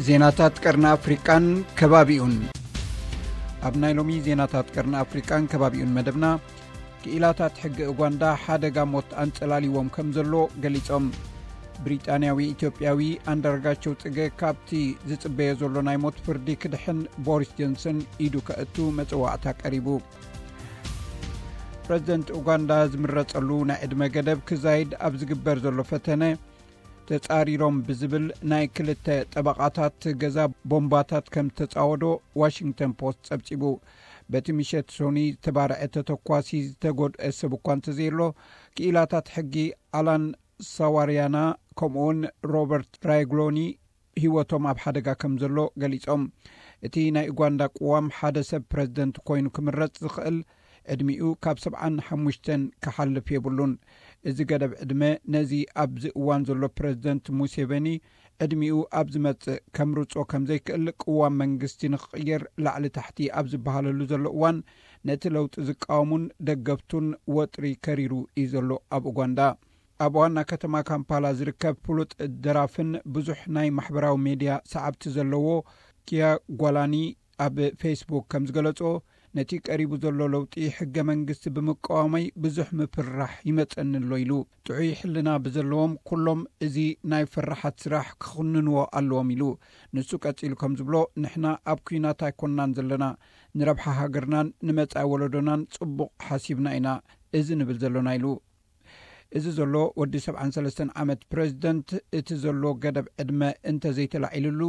ዜናታት ቀርኒ ኣፍሪቃን ከባቢኡን። ኣብ ናይ ሎሚ ዜናታት ቀርኒ ኣፍሪቃን ከባቢኡን መደብና፣ ክኢላታት ሕጊ ኡጋንዳ ሓደጋ ሞት ኣንጸላልይዎም ከም ዘሎ ገሊጾም። ብሪጣንያዊ ኢትዮጵያዊ ኣንዳርጋቸው ጽገ ካብቲ ዝጽበዮ ዘሎ ናይ ሞት ፍርዲ ክድሕን ቦሪስ ጆንሰን ኢዱ ከእቱ መጽዋዕታ ቀሪቡ። ፕረዚደንት ኡጋንዳ ዝምረጸሉ ናይ ዕድመ ገደብ ክዛይድ ኣብ ዝግበር ዘሎ ፈተነ፣ ተጻሪሮም ብዝብል ናይ ክልተ ጠበቓታት ገዛ ቦምባታት ከም ተጻወዶ ዋሽንግተን ፖስት ጸብጺቡ። በቲ ምሸት ሶኒ ዝተባርዐ ተተኳሲ ዝተጎድአ ሰብ እኳ እንተዘየሎ፣ ክኢላታት ሕጊ ኣላን ሳዋርያና ከምኡውን ሮበርት ራይግሎኒ ህይወቶም ኣብ ሓደጋ ከም ዘሎ ገሊጾም። እቲ ናይ ኡጋንዳ ቅዋም ሓደ ሰብ ፕረዚደንት ኮይኑ ክምረጽ ዝኽእል ዕድሚኡ ካብ ሰብዓን ሓሙሽተን ክሓልፍ የብሉን። እዚ ገደብ ዕድመ ነዚ ኣብዚ እዋን ዘሎ ፕረዚደንት ሙሴቬኒ ዕድሚኡ ኣብ ዝመጽእ ከምርጾ ከም ዘይክእል ቅዋም መንግስቲ ንኽቕየር ላዕሊ ታሕቲ ኣብ ዝበሃለሉ ዘሎ እዋን ነቲ ለውጢ ዝቃወሙን ደገፍቱን ወጥሪ ከሪሩ እዩ ዘሎ ኣብ ኡጋንዳ። ኣብ ዋና ከተማ ካምፓላ ዝርከብ ፍሉጥ ደራፍን ብዙሕ ናይ ማሕበራዊ ሜድያ ሰዓብቲ ዘለዎ ኪያ ጓላኒ ኣብ ፌስቡክ ከም ዝገለጾ፣ ነቲ ቀሪቡ ዘሎ ለውጢ ሕገ መንግስቲ ብምቃወመይ ብዙሕ ምፍርራሕ ይመጸኒ ኣሎ ኢሉ። ጥዑይ ሕልና ብዘለዎም ኩሎም እዚ ናይ ፍርሓት ስራሕ ክኹንንዎ ኣለዎም ኢሉ። ንሱ ቀጺሉ ከም ዝብሎ፣ ንሕና ኣብ ኲናት ኣይኮንናን ዘለና። ንረብሓ ሃገርናን ንመጻኢ ወለዶናን ጽቡቕ ሓሲብና ኢና እዚ ንብል ዘሎና ኢሉ። እዚ ዘሎ ወዲ ሰብዓን ሰለስተን ዓመት ፕረዚደንት እቲ ዘሎ ገደብ ዕድመ እንተዘይተላዒልሉ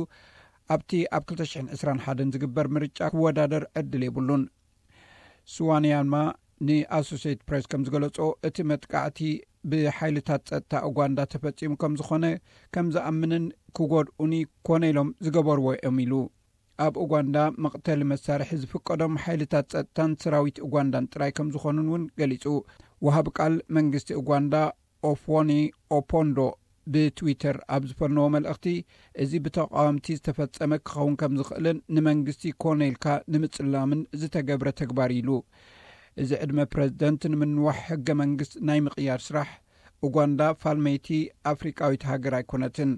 ኣብቲ ኣብ ክልተ ሽሕን ዕስራን ሓደን ዝግበር ምርጫ ክወዳደር ዕድል የብሉን። ስዋንያማ ንኣሶሴት ፕሬስ ከም ዝገለጾ እቲ መጥቃዕቲ ብሓይልታት ጸጥታ ኡጋንዳ ተፈጺሙ ከም ዝኾነ ከም ዝኣምንን ክጎድኡኒ ኮነ ኢሎም ዝገበርዎ እዮም ኢሉ። ኣብ ኡጋንዳ መቕተሊ መሳርሒ ዝፍቀዶም ሓይልታት ጸጥታን ሰራዊት ኡጋንዳን ጥራይ ከም ዝኾኑን እውን ገሊጹ። ወሃቢ ቃል መንግስቲ ኡጋንዳ ኦፍዎኒ ኦፖንዶ ብትዊተር ኣብ ዝፈነዎ መልእኽቲ፣ እዚ ብተቃወምቲ ዝተፈጸመ ክኸውን ከም ዝኽእልን ንመንግስቲ ኮነ ኢልካ ንምጽላምን ዝተገብረ ተግባር ኢሉ። እዚ ዕድመ ፕረዚደንት ንምንዋሕ ሕገ መንግስት ናይ ምቕያር ስራሕ ኡጋንዳ ፋልመይቲ ኣፍሪቃዊት ሃገር ኣይኮነትን።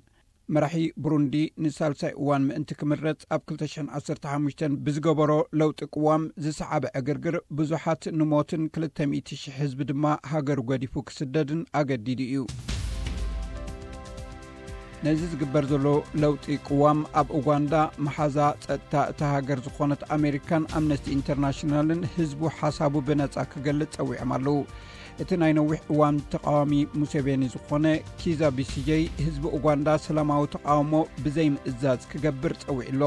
መራሒ ብሩንዲ ንሳልሳይ እዋን ምእንቲ ክምረጽ ኣብ ክልተ ሽሕን ዓሰርተ ሓሙሽተን ብዝገበሮ ለውጢ ቅዋም ዝሰዓበ ዕግርግር ብዙሓት ንሞትን ክልተ ሚእቲ ሽሕ ህዝቢ ድማ ሃገሩ ገዲፉ ክስደድን ኣገዲዱ እዩ። ነዚ ዝግበር ዘሎ ለውጢ ቅዋም ኣብ ኡጋንዳ መሓዛ ጸጥታ እታ ሃገር ዝኾነት ኣሜሪካን ኣምነስቲ ኢንተርናሽናልን ህዝቡ ሓሳቡ ብነጻ ክገልጽ ጸዊዖም ኣለዉ። እቲ ናይ ነዊሕ እዋን ተቃዋሚ ሙሴቬኒ ዝኾነ ኪዛ ቢሲጀይ ህዝቢ ኡጋንዳ ሰላማዊ ተቃውሞ ብዘይ ምእዛዝ ክገብር ጸዊዑ ኣሎ።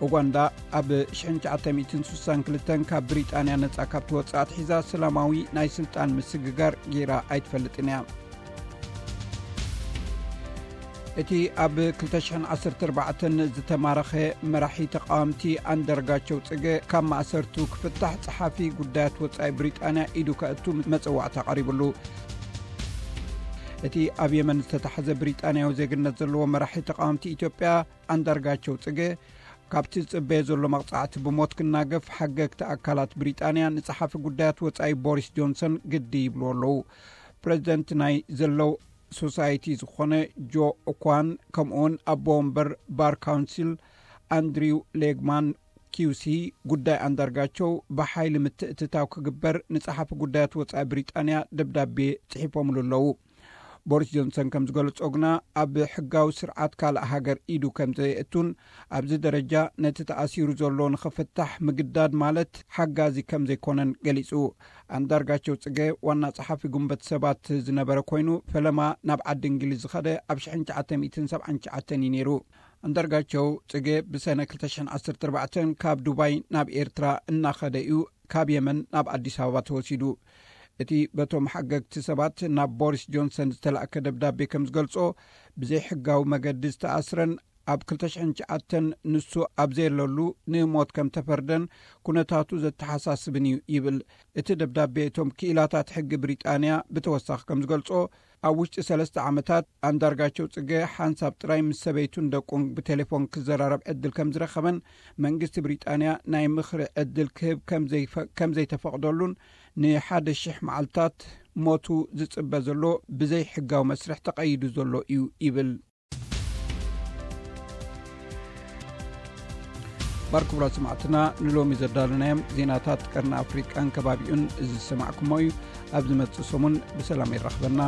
ኡጋንዳ ኣብ ሽሕን ትሽዓተ ሚእትን ስሳን ክልተን ካብ ብሪጣንያ ነጻ ካብ ትወጽእ ኣትሒዛ ሰላማዊ ናይ ስልጣን ምስግጋር ገይራ ኣይትፈልጥን እያ። እቲ ኣብ ክልተ ሽሕን ዓሰርተ ኣርባዕተን ዝተማረኸ መራሒ ተቃወምቲ ኣንዳርጋቸው ጽገ ካብ ማእሰርቱ ክፍታሕ ጸሓፊ ጉዳያት ወጻኢ ብሪጣንያ ኢዱ ከእቱ መጸዋዕታ ቀሪብሉ። እቲ ኣብ የመን ዝተታሕዘ ብሪጣንያዊ ዜግነት ዘለዎ መራሒ ተቃወምቲ ኢትዮጵያ ኣንዳርጋቸው ጽገ ካብቲ ዝጽበየ ዘሎ መቕጻዕቲ ብሞት ክናገፍ ሓገግቲ ኣካላት ብሪጣንያ ንጸሓፊ ጉዳያት ወጻኢ ቦሪስ ጆንሰን ግዲ ይብልዎ ኣለዉ። ፕረዚደንት ናይ ዘለው ሶሳይቲ ዝኾነ ጆ ኦኳን ከምኡውን ኣቦ ወንበር ባር ካውንሲል ኣንድሪው ሌግማን ኪውሲ ጉዳይ ኣንዳርጋቸው ብሓይሊ ምትእትታው ክግበር ንጸሓፊ ጉዳያት ወጻኢ ብሪጣንያ ደብዳቤ ጽሒፎምሉ ኣለዉ። ቦሪስ ጆንሰን ከም ዝገለጾ ግና ኣብ ሕጋዊ ስርዓት ካልእ ሃገር ኢዱ ከም ዘየእቱን ኣብዚ ደረጃ ነቲ ተኣሲሩ ዘሎ ንኽፍታሕ ምግዳድ ማለት ሓጋዚ ከም ዘይኮነን ገሊጹ። ኣንዳርጋቸው ጽገ ዋና ጸሓፊ ጉንበት ሰባት ዝነበረ ኮይኑ ፈለማ ናብ ዓዲ እንግሊዝ ዝኸደ ኣብ ሽሕን ትሽዓተ ሚእትን ሰብዓን ትሽዓተን እዩ ነይሩ። ኣንዳርጋቸው ጽገ ብሰነ ክልተ ሽሕን ዓሰርተ ኣርባዕተን ካብ ዱባይ ናብ ኤርትራ እናኸደ እዩ ካብ የመን ናብ ኣዲስ ኣበባ ተወሲዱ። እቲ በቶም ሓገግቲ ሰባት ናብ ቦሪስ ጆንሰን ዝተላእከ ደብዳቤ ከም ዝገልጾ፣ ብዘይሕጋዊ መገዲ ዝተኣስረን ኣብ ክልተ ሽሕን ትሽዓተን ንሱ ኣብ ዘየለሉ ንሞት ከም ተፈርደን ኩነታቱ ዘተሓሳስብን እዩ ይብል። እቲ ደብዳቤ እቶም ክኢላታት ሕጊ ብሪጣንያ ብተወሳኺ ከም ዝገልጾ፣ ኣብ ውሽጢ ሰለስተ ዓመታት ኣንዳርጋቸው ጽገ ሓንሳብ ጥራይ ምስ ሰበይቱን ደቁን ብቴሌፎን ክዘራረብ ዕድል ከም ዝረኸበን መንግስቲ ብሪጣንያ ናይ ምኽሪ ዕድል ክህብ ከም ዘይፈ-፣ ከም ዘይተፈቕደሉን ንሓደ ሽሕ መዓልታት ሞቱ ዝጽበ ዘሎ ብዘይ ሕጋዊ መስርሕ ተቐይዱ ዘሎ እዩ ይብል። ባር ክቡራት ሰማዕትና፣ ንሎሚ ዘዳለናዮም ዜናታት ቀርኒ ኣፍሪቃን ከባቢኡን እዚ ዝሰማዕኩሞ እዩ። ኣብ ዝመጽእ ሰሙን ብሰላም የራኽበና።